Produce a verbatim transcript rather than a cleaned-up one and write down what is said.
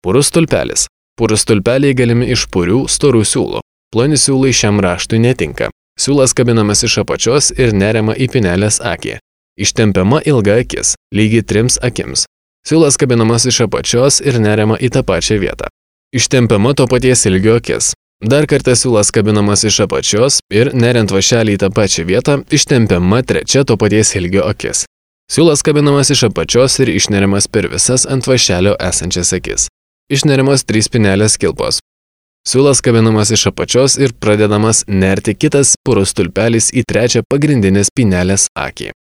Purus stulpelis. Purus stulpeliai galimi iš purių, storų siūlų. Ploni siūlai šiam raštui netinka. Siūlas kabinamas iš apačios ir neriama į pinelės akį. Ištempiama ilga akis, lygiai trims akims. Siūlas kabinamas iš apačios ir neriama į tą pačią vietą. Ištempiama to paties ilgio akis. Dar kartą siūlas kabinamas iš apačios ir, neriant vašelį į tą pačią vietą, ištempiama trečia to paties ilgio akis. Siūlas kabinamas iš apačios ir išneriamas per visas ant vašelio esančias akis. Išneriamas trys pinelės kilpos. Siūlas kabinamas iš apačios ir pradedamas nerti kitas purus stulpelis į trečią pagrindinės pinelės akį.